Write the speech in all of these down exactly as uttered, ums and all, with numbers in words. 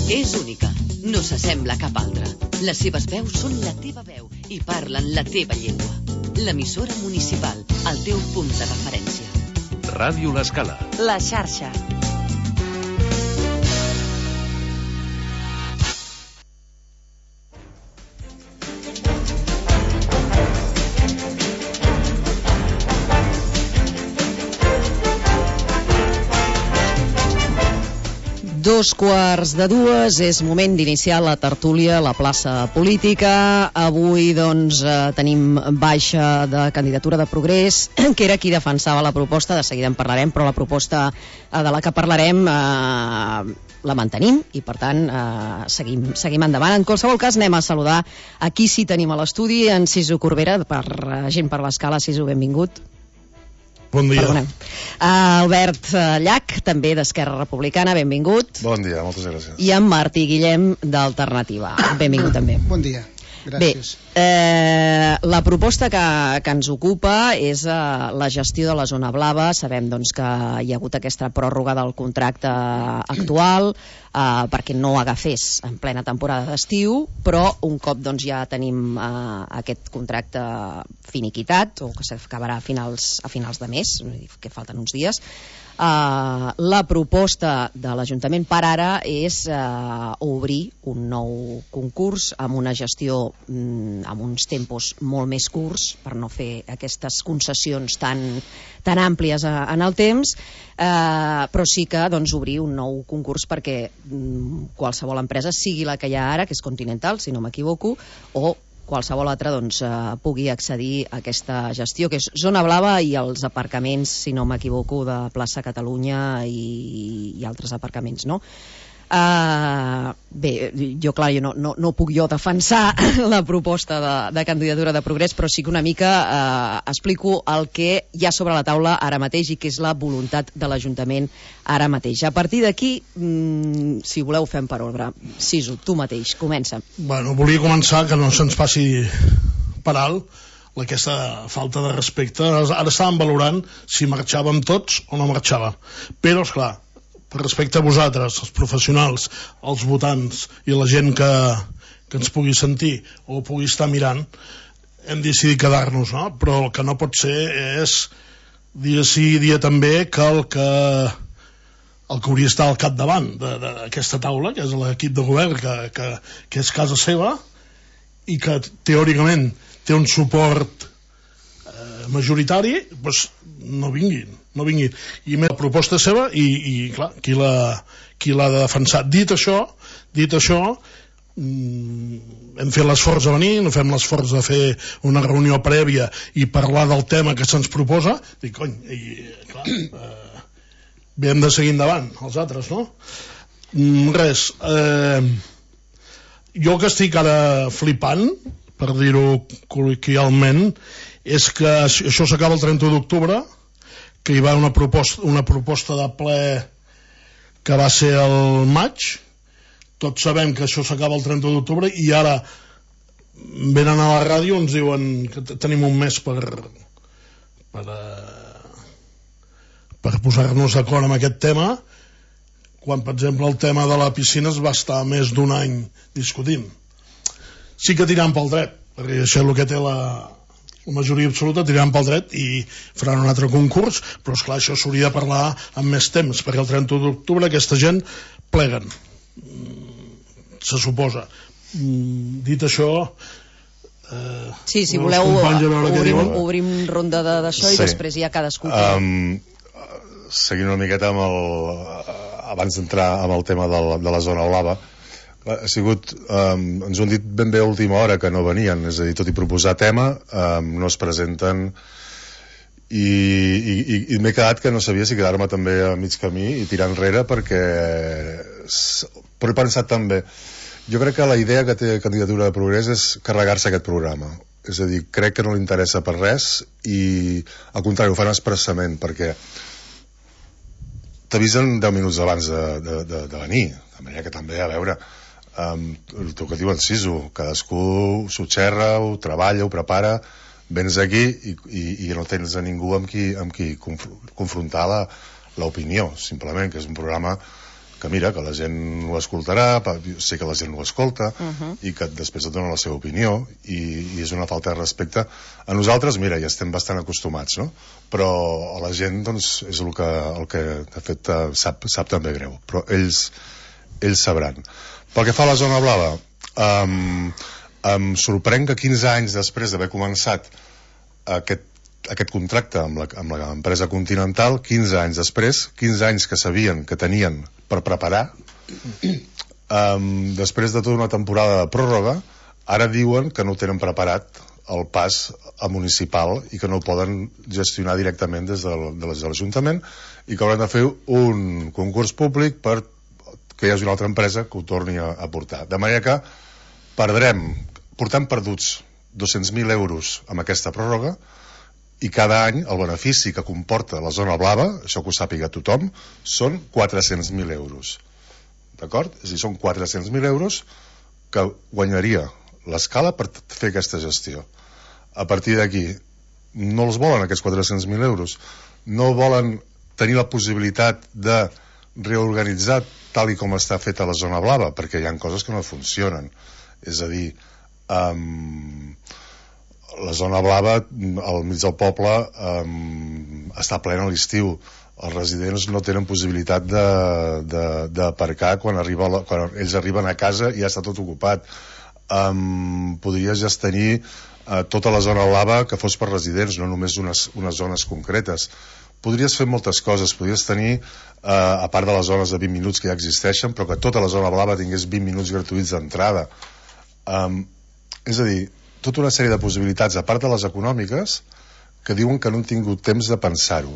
És única, no s'assembla a cap altra. Les seves veus són la teva veu i parlen la teva llengua. L'emissora municipal, el teu punt de referència. Ràdio L'Escala. La xarxa. Dos quarts de dues, és moment d'iniciar la tertúlia a la plaça política. Avui, doncs, eh, tenim baixa de candidatura de Progrés, que era qui defensava la proposta, de seguida en parlarem, però la proposta eh, de la que parlarem eh, la mantenim i, per tant, eh, seguim, seguim endavant. En qualsevol cas, anem a saludar a qui sí tenim a l'estudi, en Sisu Corbera, per uh, Gent per l'Escala. Sisu, benvingut. Bon dia. Uh, Albert Llach, també d'Esquerra Republicana, benvingut. Bon dia, moltes gràcies. I en Martí Guillem, d'Alternativa. Benvingut també. Bon dia, gràcies. Bé, eh, la proposta que, que ens ocupa és eh, la gestió de la zona blava. Sabem, doncs, que hi ha hagut aquesta pròrroga del contracte actual eh, perquè no agafés en plena temporada d'estiu, però un cop, doncs, ja tenim eh, aquest contracte finiquitat, o que s'acabarà a finals, a finals de mes, que falten uns dies. Uh, la proposta de l'Ajuntament per ara és uh, obrir un nou concurs amb una gestió mm, amb uns tempos molt més curts per no fer aquestes concessions tan, tan àmplies a, en el temps, uh, però sí que, doncs, obrir un nou concurs perquè mm, qualsevol empresa, sigui la que hi ha ara, que és Continental, si no m'equivoco, o qualsevol altre, doncs, eh, pugui accedir a aquesta gestió, que és zona blava i els aparcaments, si no m'equivoco, de plaça Catalunya i, i altres aparcaments, no? Uh, bé, jo clar, jo no, no, no puc jo defensar la proposta de, de candidatura de Progrés, però sí que una mica uh, explico el que hi ha sobre la taula ara mateix i que és la voluntat de l'Ajuntament ara mateix. A partir d'aquí, mm, si voleu, fem per ordre. Sisu, tu mateix, comença. Bueno, volia començar que no se'ns passi per alt aquesta falta de respecte. Ara estàvem valorant si marxàvem tots o no marxàvem, però esclar, per respecte a vosaltres, els professionals, els votants i la gent que, que ens pugui sentir o pugui estar mirant, hem decidit quedar-nos, no? Però el que no pot ser és dia sí i dia també que el que el que hauria d'estar al capdavant d'aquesta taula, que és l'equip de govern, que, que, que és casa seva i que teòricament té un suport eh, majoritari, doncs no vinguin. no vinguin, i més la proposta seva i, i clar, qui l'ha qui l'ha de defensar. Dit això dit això mm, hem fet l'esforç de venir, no fem l'esforç de fer una reunió prèvia i parlar del tema que se'ns proposa, dic, cony, i, clar, eh, bé, hem de seguir endavant els altres, no? Mm, res eh, jo que estic ara flipant, per dir-ho col·loquialment, és que això s'acaba el trenta d'octubre, que hi va una proposta, una proposta de ple que va ser el maig. Tots sabem que això s'acaba el trenta d'octubre i ara venen a la ràdio i ens diuen que tenim un mes per per, per posar-nos d'acord amb aquest tema, quan, per exemple, el tema de la piscina es va estar més d'un any discutint. Sí que tirant pel dret, perquè això és el que té la la majoria absoluta, tiraran pel dret i faran un altre concurs, però esclar, això s'hauria de parlar amb més temps, perquè el trenta d'octubre aquesta gent pleguen, se suposa. Dit això, eh, sí, si voleu obrim, obrim ronda d'això, sí. I després ja cadascú um, seguint una miqueta amb el abans d'entrar amb el tema del, de la zona blava, ha sigut, um, ens ho han dit ben bé a última hora que no venien, és a dir, tot i proposar tema, um, no es presenten i, i, i, i m'he quedat que no sabia si quedar-me també a mig camí i tirar enrere, perquè però he pensat també, jo crec que la idea que té Candidatura de Progrés és carregar-se aquest programa, és a dir, crec que no li interessa per res i al contrari ho fan expressament perquè t'avisen deu minuts abans de, de, de, de venir, de manera que també, a veure, Um, el que diu en Sisu, cadascú s'ho xerra, ho treballa, ho prepara, vens aquí i, i, i no tens a ningú amb qui, amb qui conf confrontar l'opinió, simplement, que és un programa que mira, que la gent ho escoltarà, sé que la gent ho escolta, uh -huh. i que després et dona la seva opinió, i, i és una falta de respecte. A nosaltres, mira, ja estem bastant acostumats, no? Però a la gent, doncs, és el que, el que de fet, sap, sap també greu. Però ells, ells sabran. Pel que fa a la zona blava, um, em sorprèn que quinze anys després d'haver començat aquest aquest contracte amb la, amb l'empresa Continental, quinze anys després, quinze anys que sabien que tenien per preparar, um, després de tota una temporada de pròrroga, ara diuen que no ho tenen preparat el pas a municipal i que no ho poden gestionar directament des de, de l'Ajuntament i que hauran de fer un concurs públic per que hi hagi una altra empresa que ho torni a, a portar. De manera que perdrem, portem perduts dos-cents mil euros amb aquesta pròrroga, i cada any el benefici que comporta la zona blava, això que ho sàpiga tothom, són quatre-cents mil euros. D'acord? És a dir, són quatre-cents mil euros que guanyaria l'escala per fer aquesta gestió. A partir d'aquí, no els volen aquests quatre-cents mil euros, no volen tenir la possibilitat de reorganitzar tal i com està feta la zona blava, perquè hi ha coses que no funcionen. És a dir, um, la zona blava al mig del poble um, està plena a l'estiu. Els residents no tenen possibilitat d'aparcar quan, arriba la, quan ells arriben a casa i ja està tot ocupat. Um, podries ja tenir uh, tota la zona blava que fos per residents, no només unes, unes zones concretes. Podries fer moltes coses, podries tenir, uh, a part de les zones de vint minuts que ja existeixen, però que tota la zona blava tingués vint minuts gratuïts d'entrada. Um, és a dir, tota una sèrie de possibilitats, a part de les econòmiques, que diuen que no han tingut temps de pensar-ho.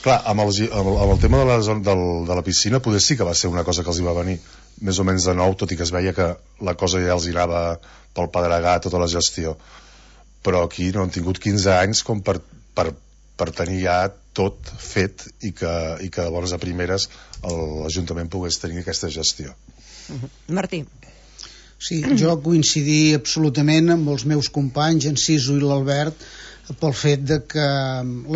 Clar, amb el, amb, el, amb el tema de la, del, de la piscina poder sí que va ser una cosa que els hi va venir més o menys de nou, tot i que es veia que la cosa ja els hi anava pel pedregar, tota la gestió. Però aquí no han tingut quinze anys com per, per, per tenir ja tot fet i que, i que de bones a primeres l'Ajuntament pogués tenir aquesta gestió. Uh-huh. Martí. Sí, jo coincidir absolutament amb els meus companys, en Ciso i l'Albert, pel fet de que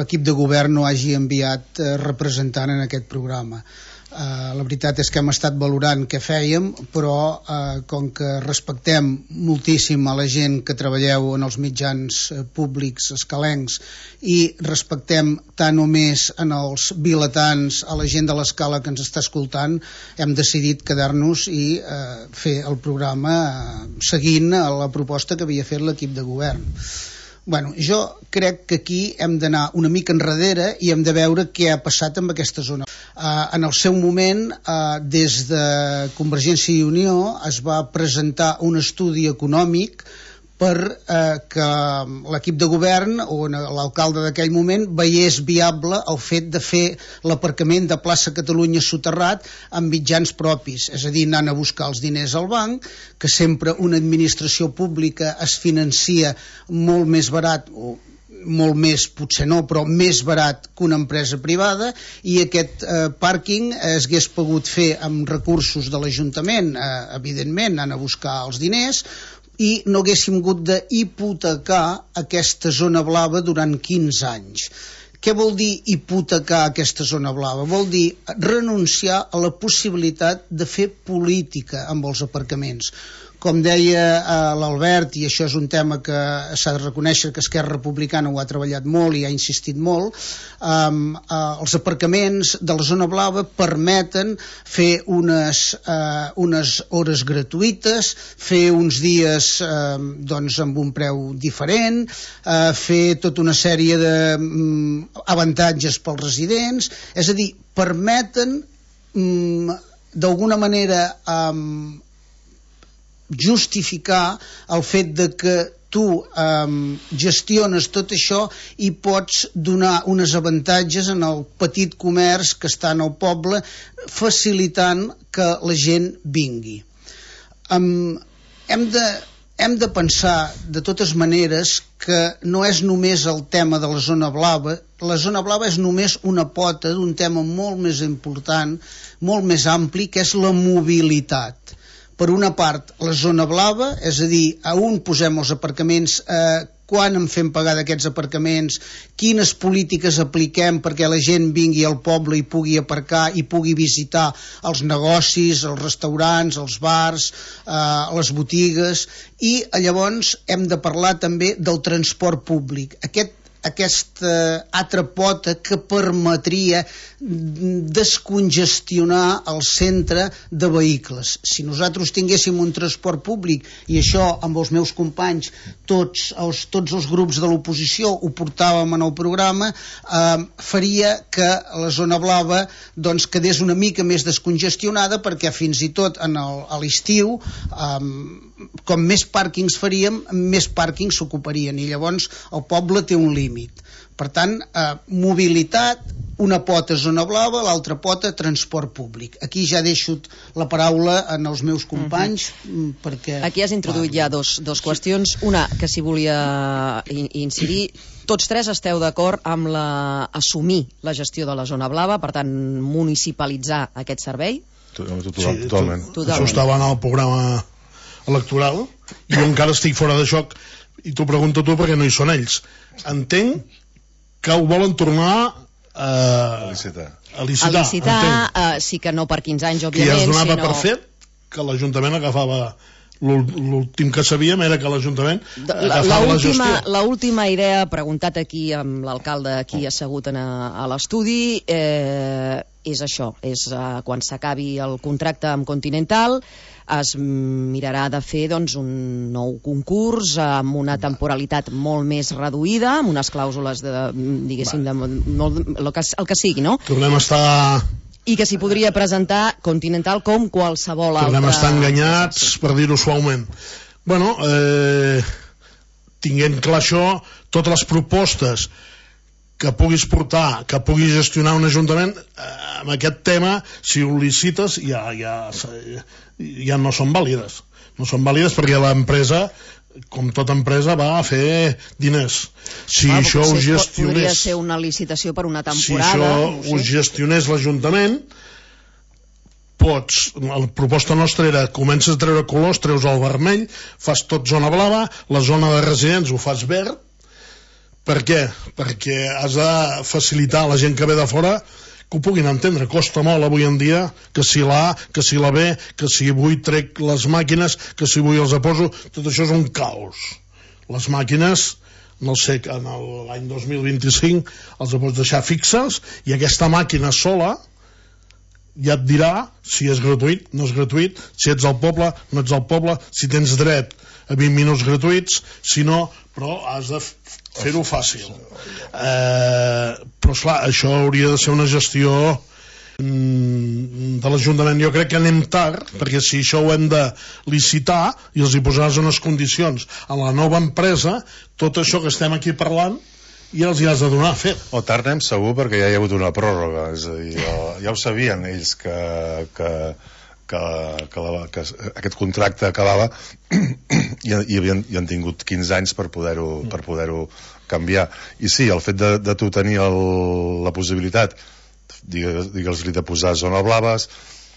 l'equip de govern no hagi enviat representant en aquest programa. Uh, la veritat és que hem estat valorant què fèiem, però uh, com que respectem moltíssim a la gent que treballeu en els mitjans uh, públics escalencs i respectem tant o més en els vilatans, a la gent de l'escala que ens està escoltant, hem decidit quedar-nos i uh, fer el programa uh, seguint la proposta que havia fet l'equip de govern. Bueno, jo crec que aquí hem d'anar una mica enrere i hem de veure què ha passat amb aquesta zona. Uh, en el seu moment, uh, des de Convergència i Unió es va presentar un estudi econòmic per eh, que l'equip de govern o l'alcalde d'aquell moment veiés viable el fet de fer l'aparcament de plaça Catalunya soterrat amb mitjans propis, és a dir, anant a buscar els diners al banc, que sempre una administració pública es financia molt més barat, o molt més, potser no, però més barat que una empresa privada, i aquest eh, pàrquing es hagués pogut fer amb recursos de l'Ajuntament, eh, evidentment, anant a buscar els diners, i no haguéssim hagut d'hipotecar aquesta zona blava durant quinze anys. Què vol dir hipotecar aquesta zona blava? Vol dir renunciar a la possibilitat de fer política amb els aparcaments. Com deia eh, l'Albert, i això és un tema que s'ha de reconèixer que Esquerra Republicana ho ha treballat molt i ha insistit molt, eh, eh, els aparcaments de la zona blava permeten fer unes, eh, unes hores gratuïtes, fer uns dies eh, doncs amb un preu diferent, eh, fer tota una sèrie d'avantatges mm, pels residents, és a dir, permeten mm, d'alguna manera eh, justificar el fet de que tu um, gestiones tot això i pots donar uns avantatges en el petit comerç que està en el poble, facilitant que la gent vingui. Um, hem de, hem de pensar de totes maneres que no és només el tema de la zona blava. La zona blava és només una pota d'un tema molt més important, molt més ampli, que és la mobilitat. Per una part, la zona blava, és a dir, a on posem els aparcaments, eh, quan en fem pagar d'aquests aparcaments, quines polítiques apliquem perquè la gent vingui al poble i pugui aparcar i pugui visitar els negocis, els restaurants, els bars, eh, les botigues, i llavors hem de parlar també del transport públic. Aquest aquesta altra pota que permetria descongestionar el centre de vehicles. Si nosaltres tinguéssim un transport públic, i això amb els meus companys, tots els, tots els grups de l'oposició ho portàvem en el programa, eh, faria que la zona blava doncs, quedés una mica més descongestionada, perquè fins i tot en el, a l'estiu eh, com més pàrquings faríem, més pàrquings s'ocuparien, i llavors el poble té un límit. Per tant, eh, mobilitat, una pota zona blava, l'altra pota transport públic. Aquí ja deixo la paraula en els meus companys, uh-huh. perquè... Aquí has introduït ja dos, dos qüestions. Una, que si volia incidir, tots tres esteu d'acord amb la, assumir la gestió de la zona blava, per tant, municipalitzar aquest servei? Totalment. Sí, totalment. Això estava en el programa electoral, i jo encara estic fora de joc, i t'ho pregunto tu perquè no hi són ells. Entenc que ho volen tornar a, a licitar. A licitar, a licitar uh, sí que no per quinze anys, òbviament. Que ja es donava sinó... per fet que l'Ajuntament agafava... L'últim que sabíem era que l'Ajuntament agafava la gestió. L'última idea, preguntat aquí amb l'alcalde aquí assegut a, a l'estudi, eh, és això, és eh, quan s'acabi el contracte amb Continental, es mirarà de fer doncs, un nou concurs amb una temporalitat molt més reduïda, amb unes clàusules de, diguéssim, de, molt, el, que, el que sigui, no? Tornem a estar... I que s'hi podria presentar Continental com qualsevol altre... Tornem a estar enganyats, per dir-ho suaument. Bueno, eh, tinguent clar això, totes les propostes que puguis portar, que puguis gestionar un ajuntament, eh, amb aquest tema, si ho licites, ja, ja, ja no són vàlides. No són vàlides perquè l'empresa, com tota empresa, va a fer diners. Si ah, això ho gestionés... Podria ser una licitació per una temporada. Si això no sé. Ho gestionés l'Ajuntament, pots... La proposta nostra era, comences a treure colors, treus el vermell, fas tot zona blava, la zona de residents ho fas verd. Per què? Perquè has de facilitar a la gent que ve de fora que ho puguin entendre. Costa molt avui en dia que si la A, que si la B, que si avui trec les màquines, que si avui els aposo, tot això és un caos. Les màquines, no sé, en l'any dos mil vint-i-cinc els pots deixar fixes, i aquesta màquina sola ja et dirà si és gratuït, no és gratuït, si ets al poble, no ets al poble, si tens dret a vint minuts gratuïts, si no, però has de fer-ho fàcil. Eh, però esclar, això hauria de ser una gestió mm, de l'Ajuntament. Jo crec que anem tard, perquè si això ho hem de licitar i els hi posaràs unes condicions a la nova empresa, tot això que estem aquí parlant ja els hi has de donar fet. O tard anem segur, perquè ja hi ha hagut una pròrroga, és a dir, ja ho sabien ells que, que, que, que, la, que aquest contracte acabava i, i, havien, i han tingut quinze anys per poder-ho per poder-ho canviar. I sí, el fet de, de tu tenir el, la possibilitat, digues-li, de posar zona blaves,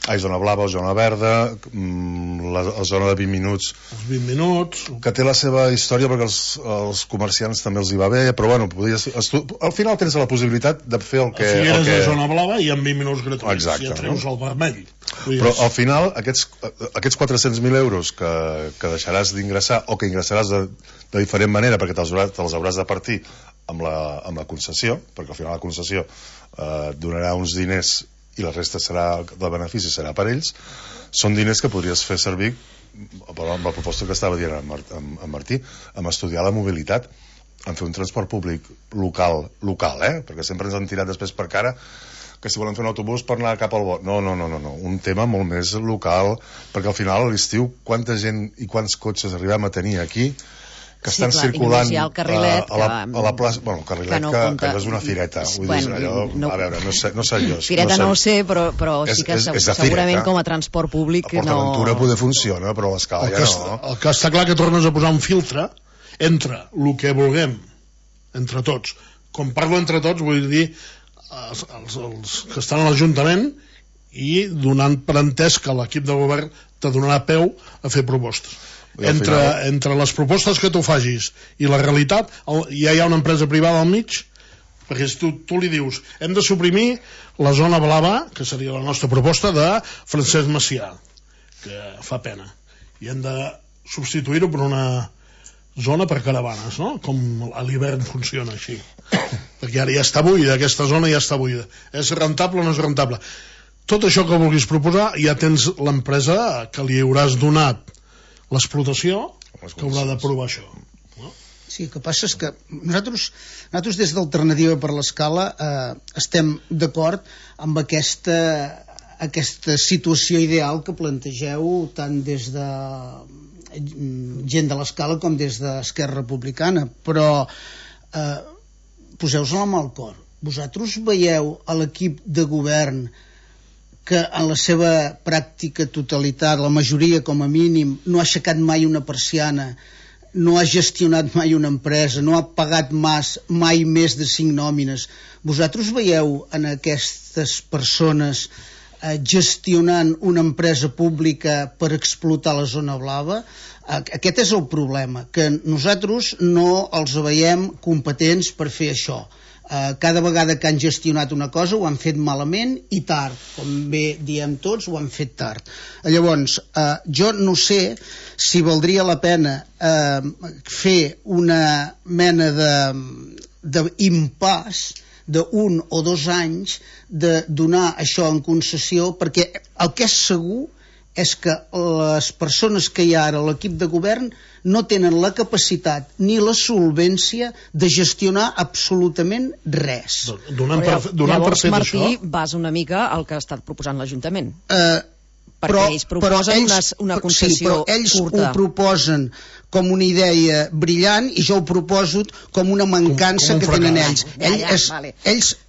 ai, zona blava o zona verda, la, la zona de vint minuts, els vint minuts, que té la seva història perquè els, els comerciants també els hi va bé, però bueno, podries, tu, al final tens la possibilitat de fer el que... A Figueres el que... és zona blava i amb vint minuts gratuïts. Exacte, si ja treus no? El vermell. Però al final aquests, aquests quatre-cents mil euros que, que deixaràs d'ingressar o que ingressaràs de, de diferent manera, perquè te'ls hauràs, te hauràs de partir amb la, amb la concessió, perquè al final la concessió eh, donarà uns diners i la resta serà, del benefici serà per ells, són diners que podries fer servir amb la proposta que estava dient en Martí, amb estudiar la mobilitat, en fer un transport públic local, local, eh? Perquè sempre ens han tirat després per cara que si volen fer un autobús per anar cap al bot. No, no, no, no, no, un tema molt més local, perquè al final a l'estiu quanta gent i quants cotxes arribem a tenir aquí que estan sí, clar, circulant el carrilet, a, la, a la plaça, bueno, el carrilet que, no que, que és una fireta, vull bueno, dir, allò, no, a veure, no sé, no sé jo. Fireta no, sé, no ho sé, però, però és, sí que és, és segurament fireta. Com a transport públic a PortAventura no... poder funciona, però a l'escala ja no. El que està clar que tornes a posar un filtre entre el que vulguem, entre tots. Com parlo entre tots, vull dir els, els, els que estan a l'Ajuntament i donant per entès que l'equip de govern te donarà peu a fer propostes. entre, final... entre les propostes que tu facis i la realitat, el, ja hi ha una empresa privada al mig, perquè si tu, tu li dius hem de suprimir la zona blava, que seria la nostra proposta, de Francesc Macià, que fa pena, i hem de substituir-ho per una zona per caravanes, no? Com a l'hivern funciona així, perquè ara ja està buida, aquesta zona ja està buida, és rentable o no és rentable? Tot això que vulguis proposar, ja tens l'empresa que li hauràs donat l'explotació, que haurà de provar això, no? Sí, el que passa és que nosaltres, nosaltres des d'Alternativa per l'Escala eh, estem d'acord amb aquesta, aquesta situació ideal que plantegeu tant des de gent de l'Escala com des d'Esquerra Republicana, però eh, poseu-vos-la amb el cor. Vosaltres veieu a l'equip de govern que en la seva pràctica totalitat, la majoria com a mínim, no ha aixecat mai una persiana, no ha gestionat mai una empresa, no ha pagat mas, mai més de cinc nòmines. Vosaltres veieu en aquestes persones eh, gestionant una empresa pública per explotar la zona blava? Aquest és el problema, que nosaltres no els veiem competents per fer això. Uh, cada vegada que han gestionat una cosa ho han fet malament i tard, com bé diem tots, ho han fet tard. Llavors, uh, jo no sé si valdria la pena uh, fer una mena d'impàs d'un o dos anys de donar això en concessió, perquè el que és segur és que les persones que hi ha ara a l'equip de govern no tenen la capacitat ni la solvència de gestionar absolutament res. Donant per, donant Llavors, per fet Martí, això... vas una mica al que ha estat proposant l'Ajuntament. Eh, perquè però, ells proposen ells, una, una concessió sí, però ells curta. ho proposen com una idea brillant i jo ho proposo com una mancança com, com un que tenen ells. Ja, ja, ells, vale. ells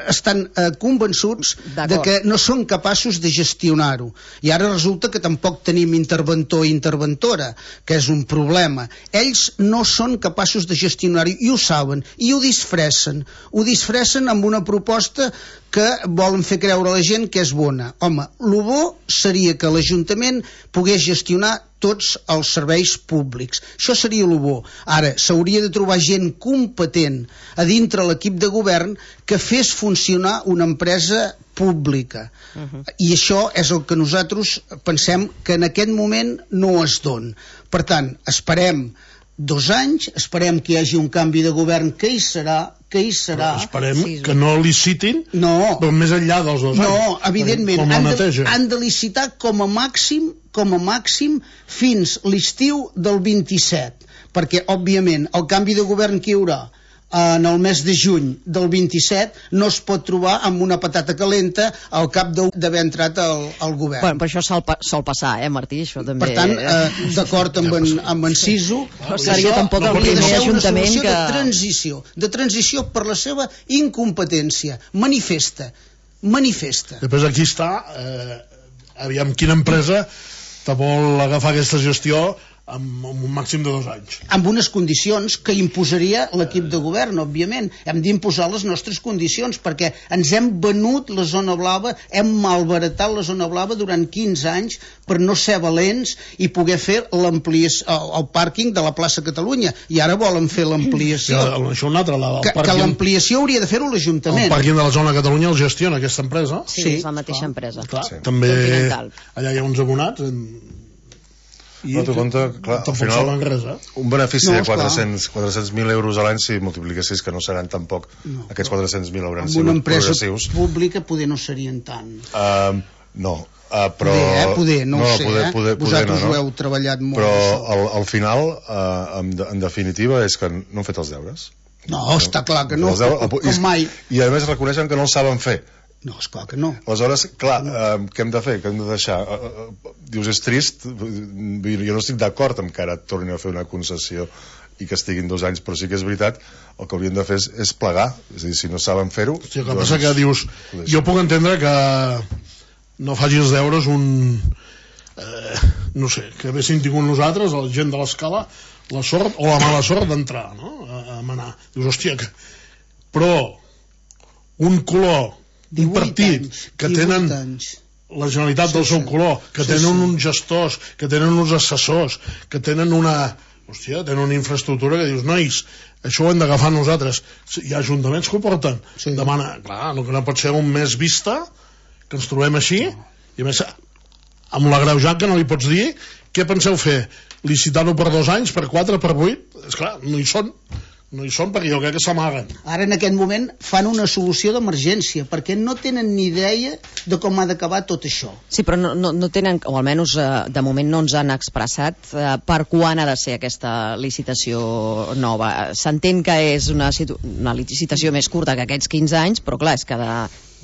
estan eh, convençuts de que no són capaços de gestionar-ho, i ara resulta que tampoc tenim interventor i interventora, que és un problema. Ells no són capaços de gestionar-ho i ho saben, i ho disfressen ho disfressen amb una proposta que volen fer creure a la gent que és bona. Home, el bo seria que l'Ajuntament pogués gestionar tots els serveis públics. Això seria el bo. Ara, s'hauria de trobar gent competent a dintre l'equip de govern que fes funcionar una empresa pública. Uh-huh. I això és el que nosaltres pensem que en aquest moment no es dona. Per tant, esperem dos anys, esperem que hi hagi un canvi de govern, que hi serà, que hi serà. Però esperem sí, que no licitin, no, però més enllà dels dos anys. No, evidentment, com han de, han de licitar com a màxim, com a màxim fins l'estiu del vint-i-set, perquè, òbviament, el canvi de govern que hi haurà en el mes de juny del vint-i-set no es pot trobar amb una patata calenta al cap d'haver entrat al, al govern. Bueno, però això sol, sol passar, eh, Martí? Això també... Per tant, eh, d'acord amb, en, amb en Siso, no seria això tampoc el hauria de ser una que... solució de transició, de transició per la seva incompetència. Manifesta, manifesta. Després aquí està, eh, aviam quina empresa te vol agafar aquesta gestió amb un màxim de dos anys. Amb unes condicions que imposaria l'equip de govern, òbviament. Hem d'imposar les nostres condicions, perquè ens hem venut la zona blava, hem malbaratat la zona blava durant quinze anys per no ser valents i poder fer l'ampliació, el, el pàrquing de la plaça Catalunya, i ara volen fer l'ampliació. Ja, això un altre, la, que, que l'ampliació hauria de fer-ho l'Ajuntament. El pàrquing de la zona Catalunya el gestiona aquesta empresa. Sí, sí, és la mateixa clar. empresa. Clar, sí. També allà hi ha uns abonats en... I no t'ho compte, clar, al final res, eh? un benefici no, de quatre-cents mil euros a l'any, si multipliquessis, que no seran tampoc no, aquests quatre-cents mil hauran sigut progressius. Amb una empresa pública poder no serien tant. Uh, no, uh, però... Poder, eh? Poder, no, no ho sé, poder, eh? Poder, vosaltres no, no. ho heu treballat molt. Però al, al final, uh, en, en definitiva, és que no han fet els deures. No, no està clar que no, deures, com, com mai. I a més reconeixen que no els saben fer. No, esclar que no. Aleshores, clar, eh, què hem de fer? Què hem de deixar? Eh, eh, dius, és trist, jo no estic d'acord amb que ara tornin a fer una concessió i que estiguin dos anys, però sí que és veritat, el que haurien de fer és, és plegar, és a dir, si no saben fer-ho... Sí, el que doncs, passa que dius, jo puc entendre que no faci els deures un... Eh, no sé, que haguéssim tingut nosaltres, la gent de l'Escala, la sort o la mala sort d'entrar, no?, a, a manar. Dius, hòstia, que... però un color un partit anys, que tenen anys. la Generalitat sí, del seu sí. color, que sí, tenen sí. uns gestors, que tenen uns assessors, que tenen una... Hòstia, tenen una infraestructura que dius, nois, això ho hem d'agafar nosaltres. Hi ha ajuntaments que ho porten. Sí. Demana, clar, no, no pot ser un mes vista que ens trobem així, i a més, amb l'agreujat que no li pots dir, què penseu fer? Licitar-ho per dos anys, per quatre, per vuit? Esclar, no hi són. No hi són perquè jo crec que s'amaguen. Ara en aquest moment fan una solució d'emergència perquè no tenen ni idea de com ha d'acabar tot això. Sí, però no, no, no tenen, o almenys eh, de moment no ens han expressat eh, per quan ha de ser aquesta licitació nova. S'entén que és una, una licitació més curta que aquests quinze anys, però clar, és que de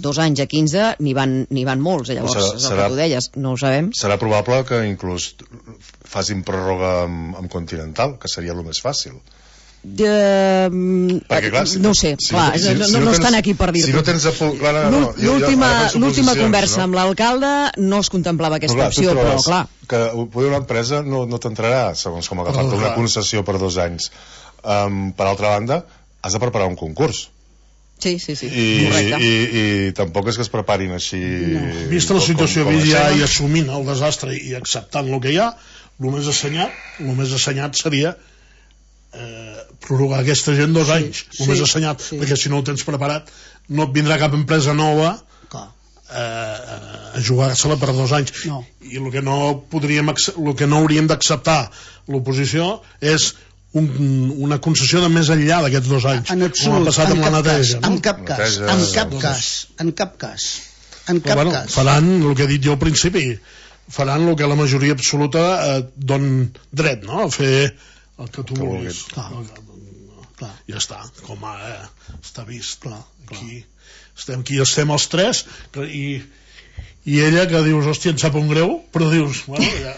dos anys a quinze n'hi van, n'hi van molts, llavors serà, és el serà, que tu deies, no ho sabem. Serà probable que inclús facin pròrroga amb, amb Continental, que seria el més fàcil. De... Perquè, clar, si, no ho sé, si clar, no, si, no, si no, no estan aquí per dir-ho. Si no tens a full, clar, no, no, l'última l'última conversa no? amb l'alcalde no es contemplava aquesta no, clar, opció, però clar que poder una empresa no, no t'entrarà segons com agafar oh, una concessió per dos anys. Um, per altra banda, has de preparar un concurs. Sí, sí, sí, I, correcte. I, i, i tampoc és que es preparin així... No. Vista la situació com, com ja i assumint el desastre i acceptant el que hi ha, el més assenyat, el més assenyat seria eh, prorrogar aquesta gent dos sí, anys, el sí, més assenyat, sí. Perquè si no ho tens preparat no et vindrà cap empresa nova eh, a jugar-se-la per dos anys. No. I el que no podríem, el que no hauríem d'acceptar l'oposició és Un, una concessió de més enllà d'aquests dos anys en absolut, passat en, amb cap la neteja, cas, no? en cap cas en cap cas en cap cas en cap bueno, cas faran el que he dit jo al principi, faran el que la majoria absoluta eh, don dret, no? A fer el que tu que vulguis clar. Clar. Ja està, com a eh, està vist clar, aquí, clar. Estem aquí estem els tres i, i ella que dius, hòstia, em sap un greu, però dius, bueno, ja,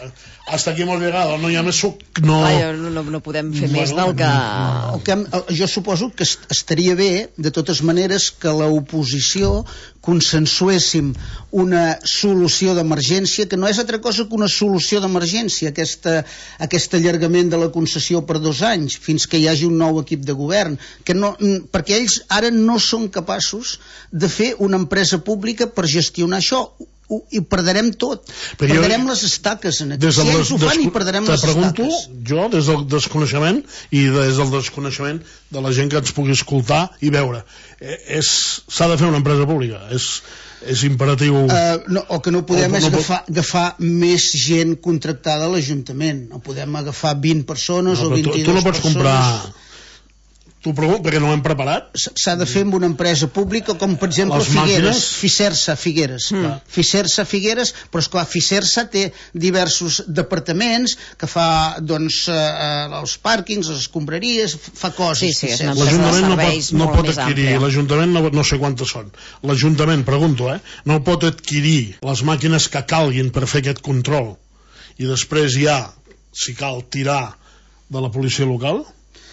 hasta aquí hemos llegado, no hi ha més suc, no... Ah, no, no, no podem fer bueno, més del que... No. El que... Jo suposo que estaria bé, de totes maneres, que l'oposició consensuéssim una solució d'emergència, que no és altra cosa que una solució d'emergència, aquesta, aquest allargament de la concessió per dos anys, fins que hi hagi un nou equip de govern, que no, perquè ells ara no són capaços de fer una empresa pública per gestionar això, i perdrem tot, però perdrem jo, les estaques en aquí, si ells ho fan i perdrem les pregunto, estaques. Jo des del desconeixement i des del desconeixement de la gent que ens pugui escoltar i veure, és, s'ha de fer una empresa pública, és, és imperatiu uh, no, el que no podem o, és no agafar, pot... agafar més gent contractada a l'Ajuntament, no podem agafar vint persones no, o vint-i-dues persones. Tu no pots comprar... T'ho pregunto perquè no ho hem preparat. S'ha de fer amb una empresa pública com per exemple les Figueres, Fisersa Figueres mm. Fisersa Figueres, però esclar Fisersa té diversos departaments que fa doncs eh, els pàrquings, les escombraries, fa coses. Sí, sí, l'Ajuntament no pot, no pot adquirir, l'Ajuntament no, no sé quantes són, l'Ajuntament, pregunto, eh, no pot adquirir les màquines que calguin per fer aquest control i després ja, si cal, tirar de la policia local.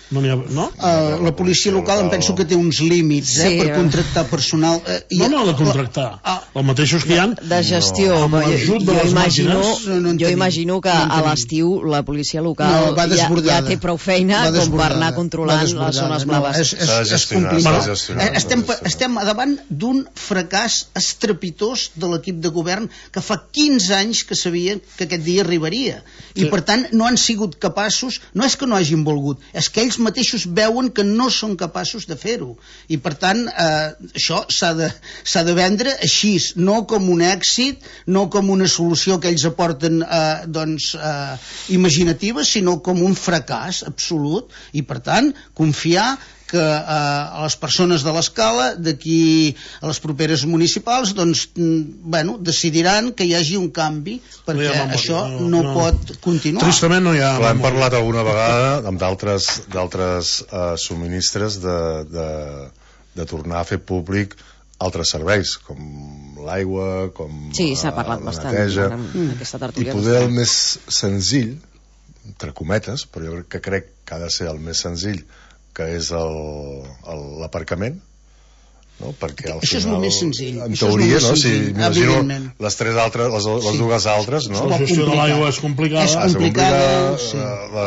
No n'hi ha, no? Uh, la policia local em penso que té uns límits eh, sí, per contractar personal uh, i no, no, de contractar uh, els mateixos que hi ha de gestió no, jo, jo, imagino, no jo imagino que no a l'estiu la policia local no, ja, ja té prou feina com per anar controlant les zones blaves no, és, és, és complicat estem, estem davant d'un fracàs estrepitós de l'equip de govern que fa quinze anys que sabia que aquest dia arribaria i sí. Per tant no han sigut capaços, no és que no hagin volgut, és que ells mateixos veuen que no són capaços de fer-ho i per tant eh, això s'ha de, s'ha de vendre així, no com un èxit, no com una solució que ells aporten eh, doncs, eh, imaginativa, sinó com un fracàs absolut i per tant confiar que eh, a les persones de l'escala d'aquí a les properes municipals doncs, bueno, decidiran que hi hagi un canvi perquè no això no, no, no pot continuar. Tristament no hi ha... Clar, hem parlat alguna vegada amb d'altres d'altres uh, subministres de, de, de tornar a fer públic altres serveis com l'aigua, com sí, s'ha parlat uh, bastant neteja en aquesta tertúlia i poder el més senzill entre cometes, però jo crec que crec que ha de ser el més senzill que és l'aparcament, no? Perquè al això final, és el més senzill. En teoria, no? Si m'imagino les tres altres, les, les sí. dues altres, no? La gestió de l'aigua és complicada. És complicada, sí.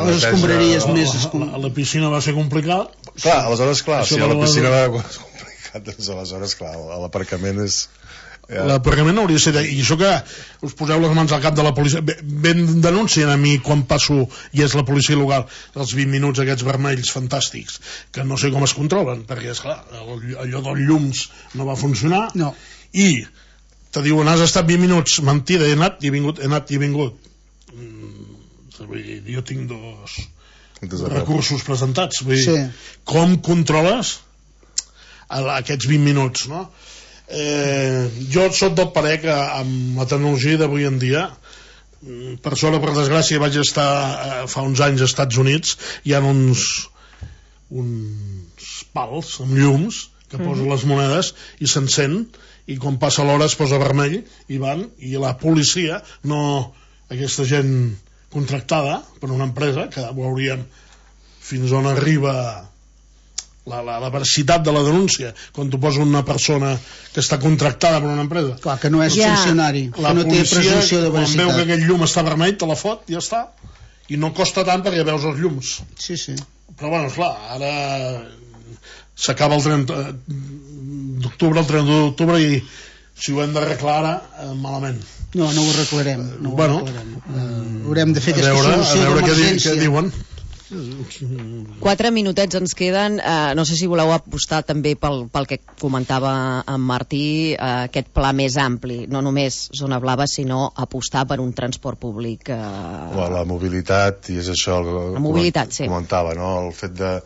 Les escombraries més... La, la piscina va ser complicat. Clar, aleshores, clar, si a la piscina va ser complicat, doncs aleshores, clar, l'aparcament és, L'aparcament hauria de ser de... I això que us poseu les mans al cap de la policia, ben denuncien a mi quan passo i és la policia local els vint minuts aquests vermells fantàstics que no sé com es controlen, perquè esclar allò dels llums no va funcionar no. I te diuen has estat vint minuts, mentida, he anat i he vingut, he anat i he vingut. Mm, jo tinc dos recursos presentats, vull dir, sí. Com controles aquests vint minuts, no? Eh, jo soc del parer que amb la tecnologia d'avui en dia, per sort o per desgràcia vaig estar eh, fa uns anys als Estats Units, hi ha uns uns pals amb llums que posen les monedes i s'encén i quan passa l'hora es posa vermell i van, i la policia no, aquesta gent contractada per una empresa que veurien fins on arriba La, la, la veracitat de la denúncia quan tu poses una persona que està contractada per una empresa. Clar, que no és yeah. funcionari, la que no policia, té presumpció de veracitat. Quan veu que aquell llum està vermell, te la fot, ja està. I no costa tant perquè veus els llums. Sí, sí. Però bueno, esclar, ara s'acaba el trenta d'octubre, el trenta d'octubre, i si ho hem d'arreglar ara, eh, malament. No, no ho arreglarem. No ho bueno, arreglarem. Uh, haurem de fer aquesta veure, solució d'emergència. Què diuen. Quatre minutets ens queden, eh, no sé si voleu apostar també pel, pel que comentava en Martí, eh, aquest pla més ampli, no només zona blava sinó apostar per un transport públic eh... la mobilitat, i és això el la mobilitat, sí. comentava, no? El fet de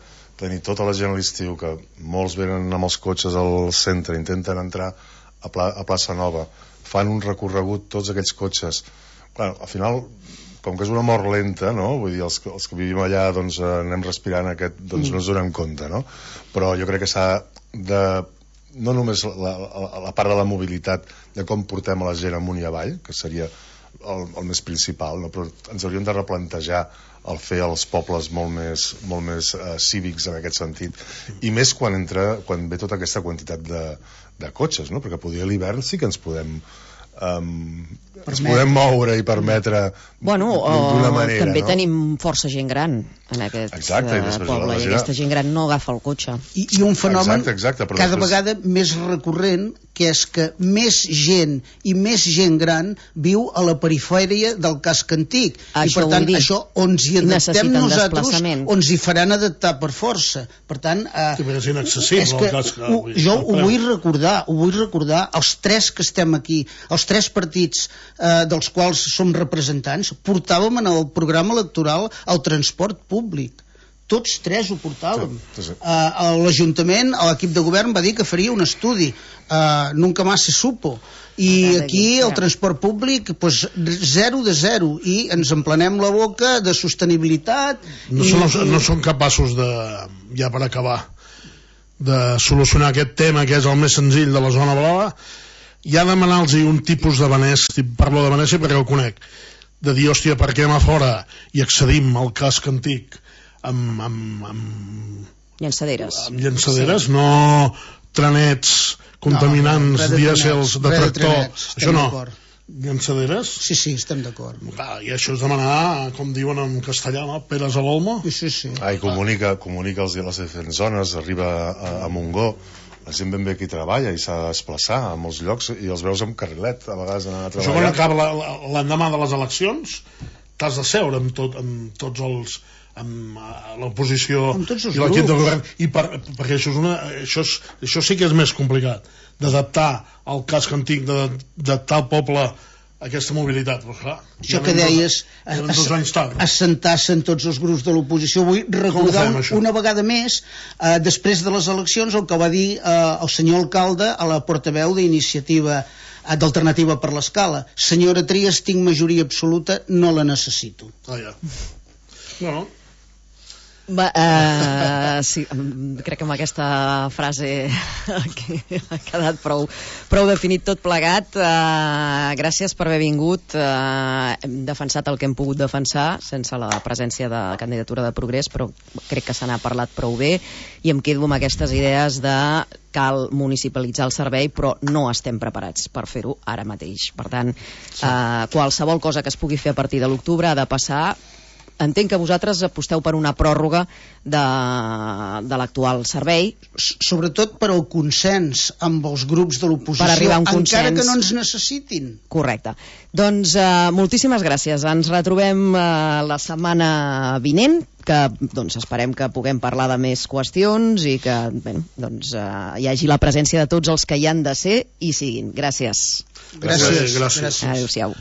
tenir tota la gent a l'estiu, que molts venen amb els cotxes al centre, intenten entrar a, Pla, a Plaça Nova, fan un recorregut tots aquells cotxes, bueno, al final com que és una mort lenta, no? Vull dir, els, els que vivim allà doncs, anem respirant aquest, doncs mm. no ens donem compte, no? Però jo crec que s'ha de, no només la, la, la part de la mobilitat, de com portem a la gent amunt i avall, que seria el, el més principal, no? Però ens hauríem de replantejar el fer els pobles molt més, molt més uh, cívics en aquest sentit, i més quan entra, quan ve tota aquesta quantitat de, de cotxes, no? Perquè poder a l'hivern sí que ens podem Um, ens podem moure i permetre bueno, d'una manera, també no? Tenim força gent gran en aquest exacte, uh, poble, i aquesta gent gran no agafa el cotxe i, i un fenomen exacte, exacte, cada després... vegada més recurrent, que és que més gent i més gent gran viu a la perifèria del casc antic, això i per tant això on hi adaptem nosaltres ons hi faran adaptar per força, per tant uh, sí, és inaccessible és que el casc, ho, jo ho vull recordar ho vull recordar, els tres que estem aquí els tres partits eh, dels quals som representants, portàvem en el programa electoral el transport públic. Tots tres ho portàvem. Sí, sí. Uh, l'Ajuntament, l'equip de govern va dir que faria un estudi. Uh, nunca más se supo. I aquí el transport públic pues, zero de zero, i ens emplenem la boca de sostenibilitat. No, i, són, no són capaços de, ja per acabar, de solucionar aquest tema que és el més senzill de la zona blava. Ja demanar-los un tipus de Venècia, parlo de Venècia perquè el conec, de dir, hòstia, per què a fora i accedim al casc antic amb, amb, amb llançaderes, amb llançaderes, sí. No trenets contaminants, no, dièsels de tractor, això no, llançaderes. Sí, sí, estem d'acord. Ah, i això és demanar, com diuen en castellà, no? Peres a l'olmo. Sí, sí, sí. Ah, i comunica, comunica els de les diferents zones, arriba a, a Montgó, la gent ben bé aquí treballa i s'ha de desplaçar a molts llocs i els veus amb carrilet a vegades anar a treballar. Això quan acaba l'endemà de les eleccions t'has de seure amb, tot, amb tots els amb l'oposició i l'equip de govern i per, perquè això, és una, això, és, això sí que és més complicat d'adaptar el casc antic, d'adaptar el poble aquesta mobilitat, però clar, això que deies, assentar-se en tots els grups de l'oposició. Vull recordar un, una vegada més, eh, després de les eleccions, el que va dir eh, el senyor alcalde a la portaveu d'Iniciativa eh, d'Alternativa per l'Escala: senyora Trias, tinc majoria absoluta, no la necessito. Ah, ja. No, no. Va, uh, sí, crec que amb aquesta frase ha quedat prou, prou definit tot plegat. Uh, gràcies per haver vingut. Uh, hem defensat el que hem pogut defensar sense la presència de la candidatura de Progrés, però crec que se n'ha parlat prou bé i em quedo amb aquestes idees de cal municipalitzar el servei, però no estem preparats per fer-ho ara mateix. Per tant, uh, qualsevol cosa que es pugui fer a partir de l'octubre ha de passar entenc que vosaltres aposteu per una pròrroga de, de l'actual servei. Sobretot per al consens amb els grups de l'oposició, encara que no ens necessitin. Correcte. Doncs eh, moltíssimes gràcies. Ens retrobem eh, la setmana vinent, que doncs, esperem que puguem parlar de més qüestions i que bé, doncs, eh, hi hagi la presència de tots els que hi han de ser i siguin. Gràcies. Gràcies. Gràcies. Adéu-siau.